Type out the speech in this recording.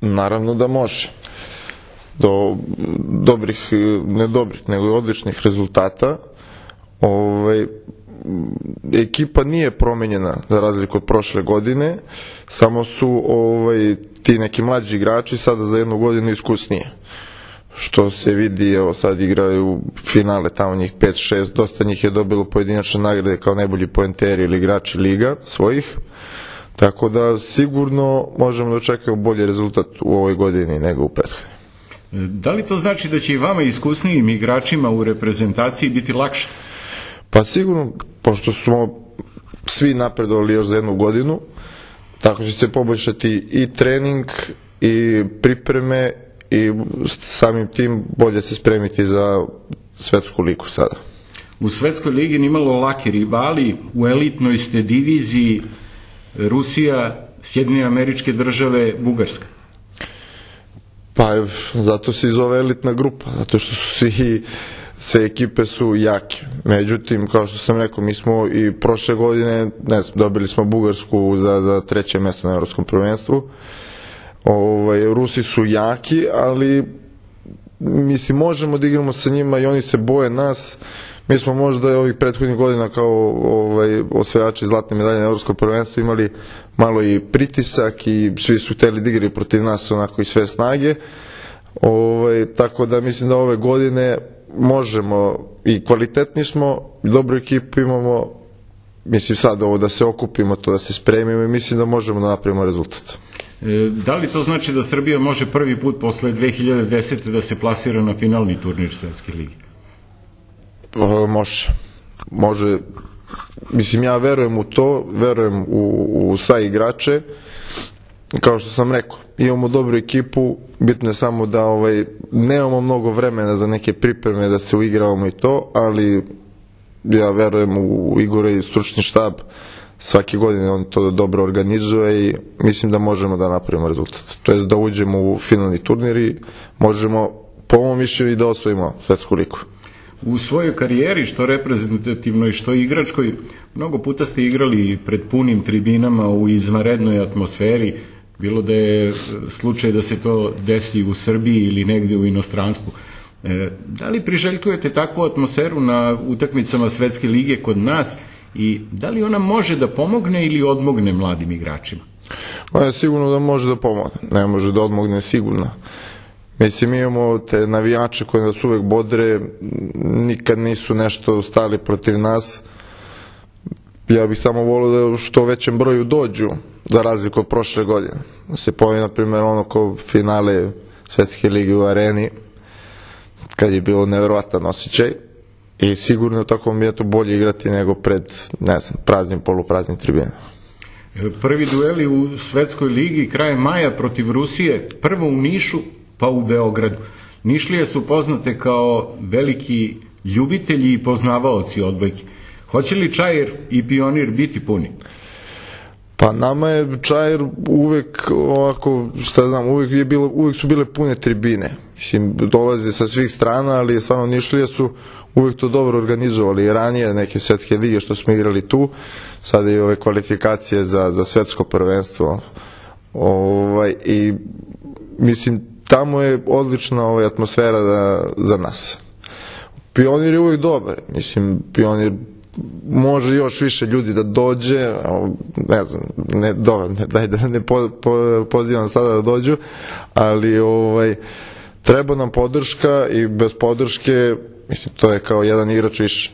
Naravno da može. Do dobrih, ne dobrih, nego odličnih rezultata. Ekipa nije promenjena za razliku od prošle godine, samo su ti neki mlađi igrači sada za jednu godinu iskusnije. Što se vidi, evo sad igraju finale, tamo njih 5-6, dosta njih je dobilo pojedinačne nagrade kao najbolji poenteri ili igrači liga svojih. Tako da sigurno možemo da očekujemo bolji rezultat u ovoj godini nego u prethodnoj. Da li to znači da će i vama iskusnijim igračima u reprezentaciji biti lakše? Pa sigurno, pošto smo svi napredovali još za jednu godinu, tako će se poboljšati i trening i pripreme i samim tim bolje se spremiti za svetsku ligu sada. U svetskoj ligi nimalo laki rivali, u elitnoj ste diviziji Rusija, Sjedinjene Američke Države, Bugarska. Pa zato se i zove elitna grupa, zato što su sve ekipe su jake. Međutim, kao što sam rekao, mi smo i prošle godine, dobili smo Bugarsku za 3. mesto na Evropskom prvenstvu. Rusi su jaki, ali mislim, možemo da igramo sa njima i oni se boje nas. Mi smo možda ovih prethodnih godina kao osvajači zlatne medalje na Evropskom prvenstvu imali malo i pritisak i svi su hteli da igraju protiv nas onako i sve snage. Tako da mislim da ove godine možemo i kvalitetni smo, dobru ekipu imamo, mislim sad ovo da se okupimo, to da se spremimo i mislim da možemo da napravimo rezultat. Da li to znači da Srbija može prvi put posle 2010. da se plasira na finalni turnir Svetske lige? Može. Mislim, ja verujem u to, verujem u sa igrače. Kao što sam rekao, imamo dobru ekipu, bitno je samo da nemamo mnogo vremena za neke pripreme, da se uigravamo i to, ali ja verujem u Igora i stručni štab. Svake godine on to dobro organizuje i mislim da možemo da napravimo rezultat. To je da uđemo u finalni turnir i možemo, po mom mišljenju, i da osvojimo svetsku ligu. U svojoj karijeri, što reprezentativnoj, što igračkoj, mnogo puta ste igrali pred punim tribinama u izvanrednoj atmosferi, bilo da je slučaj da se to desi u Srbiji ili negdje u inostranstvu. Da li priželjkujete takvu atmosferu na utakmicama Svetske lige kod nas i da li ona može da pomogne ili odmogne mladim igračima? Sigurno da može da pomogne, ne može da odmogne sigurno. Mislim, mi imamo te navijače koji nas uvek bodre, nikad nisu nešto stali protiv nas. Ja bih samo volio da u što većem broju dođu, za razliku od prošle godine. Da se pojavi, na primjer, ono kao finale Svetske lige u Areni, kad je bilo neverovatan osjećaj. I sigurno u takvom je to bolje igrati nego pred, praznim, polupraznim tribinama. Prvi dueli u Svetskoj ligi krajem maja protiv Rusije, prvo u Nišu, pa u Beogradu. Nišlije su poznate kao veliki ljubitelji i poznavaoci odbojke. Hoće li Čair i Pionir biti puni? Pa nama je Čair uvek ovako, uvek su bile pune tribine. Mislim, dolaze sa svih strana, ali stvarno Nišlije su uvek to dobro organizovali. I ranije neke svetske lige što smo igrali tu, sada i ove kvalifikacije za svetsko prvenstvo. I mislim, tamo je odlična atmosfera za nas. Pionir je uvijek dobar. Mislim, Pionir može još više ljudi da dođe, ne znam, daj da ne pozivam sada da dođu, ali treba nam podrška i bez podrške, mislim, to je kao jedan igrač više.